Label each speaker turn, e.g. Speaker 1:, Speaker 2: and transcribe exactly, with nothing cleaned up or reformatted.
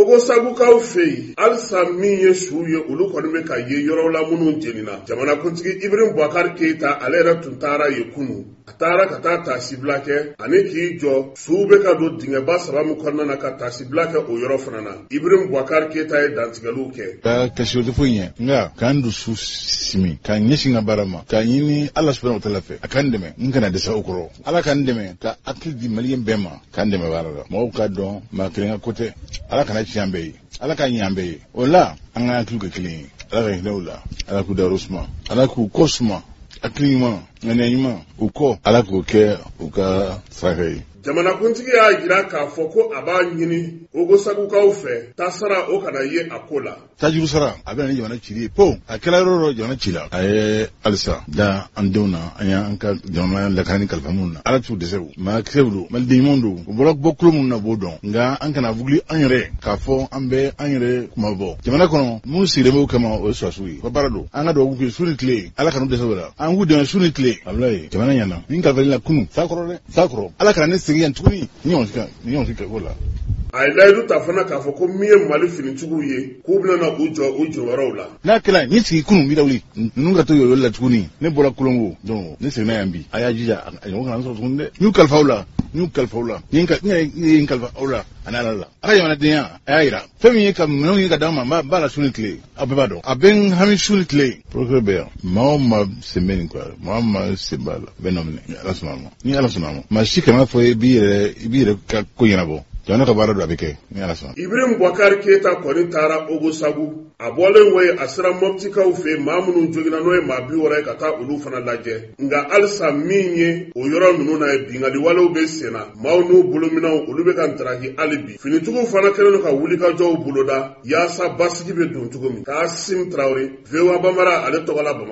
Speaker 1: Ogosagukaw fɛ yen, halisa min ye suw ye, olu kɔni bɛ ka ye yɔrɔ la minnu jenina. Jamanakuntigi Ibrahim Boubacar Keita, ale yɛrɛ tun taara yen kunun. A taara ka taa taasibila kɛ ani k'i jɔ suw bɛ ka don dingɛba saba min kɔnɔna na, ka taasibila kɛ o yɔrɔ fana na. Ibrahim Boubacar Keita ye dantigɛliw kɛ.
Speaker 2: Ka kasi o tɛ foyi ɲɛ, nka k'an dusu simi k'an ɲɛsin ka baara ma, k'a ɲini Ala subahana wa taala fɛ a k'an dɛmɛ, n kana dɛsɛ o kɔrɔ. Ala k'an dɛmɛ ka hakili di Maliyɛn bɛɛ ma, k'an dɛmɛ baara la. Mɔgɔw k'a dɔn, maa kelen ka ko tɛ. Ala kana tiɲɛ an bɛɛ ye, Ala k'a ɲɛ an bɛɛ ye. O la, an ka hakiliw kɛ kelen ye. Ala ka hinɛ u la, Ala k'u dayɔrɔ suma, Ala k'u kɔ suma, hakili ɲuman, ŋaniya ɲuman, u kɔ, Ala k'o kɛ u ka saraka ye.
Speaker 1: Jamanakuntigi y'a jira k'a fɔ ko a b'a ɲini Ogosagukaw fɛ, tasara o kana ye a ko la.
Speaker 2: Tajuru sara, a bɛ na ni jamana cili ye po. A kɛra yɔrɔ o yɔrɔ, jamana ci la. A ye halisa da an denw na, an y'an ka jamana lakana kalifa minnu na. Ala t'u dɛsɛ. O maa kisɛw don, maliden ɲumanw don. U bɔra bɔ kulo minnu na, b'o dɔn. Nka an kana wuli an yɛrɛ k'a fɔ an bɛ an yɛrɛ kuma bɔ jamana kɔnɔ. Minnu sigilen b'o kama, o ye sɔrɔdasiw ye, u ka baara don. An ka dugawu k'u ye su ni tile, Ala kan'u dɛsɛ o la. An k'u dɛmɛ su ni tile. Walayi, jamana ɲɛna ni kalifali la kunun sa kɔrɔ dɛ, sa kɔrɔ. Ala kana ne segin yan tuguni ni ɲɔgɔn si ni ɲɔgɔn si kɛ ko la.
Speaker 1: A ye layidu ta fana k'a fɔ ko min ye Mali finitigiw ye, k'u bɛna na u jɔ u jɔyɔrɔw la.
Speaker 2: N'a kɛra ni sigi kunun b'i lawuli ninnu ka to yɔrɔ la tuguni. Ne bɔra Kolongo, donc ne seginna yan bi. A y'a jija, a ɲɔgɔn kana sɔrɔ tuguni dɛ. N y'u kalifa aw la, n y'u kalifa aw la, n ye n kalifa aw la ani Ala la. A ka jamanadenya, a y'a yira fɛn min ye ka minɛnw ye ka d'aw ma. N b'a la su ni tile, aw bɛɛ b'a dɔn, a bɛ n hami su ni tile. Procureur bɛ yan, maa o maa sen bɛ nin ko la, maa o maa sen b'a la, bɛ nɔ minɛ ni Ala sɔnna a ma, ni Ala sɔnna a ma. Maa si kana fɔ i b'i yɛrɛ i b'i yɛrɛ ka ko ɲɛnabɔ. Jamana ka baara don, a bɛ kɛ ni Ala sɔnna.
Speaker 1: Ibrahim Boubacar Keita kɔni taara Ogosagu. A bɔlen kɔ yen, a sera Mɔptikaw fɛ yen, maa minnu joginna, n'o ye maa bi wɔɔrɔ ye, ka taa olu fana lajɛ. Nka halisa min ye o yɔrɔ ninnu na ye, binkanni walew bɛ sen na, maaw n'u bolominɛnw, olu bɛ ka ntaraki hali bi. Finitigiw fana kɛlen don ka wulikajɔw boloda yaasa basigi bɛ don cogo min. Kasim Tarawele, V O A Bambara, ale tɔgɔ la Bamakɔ.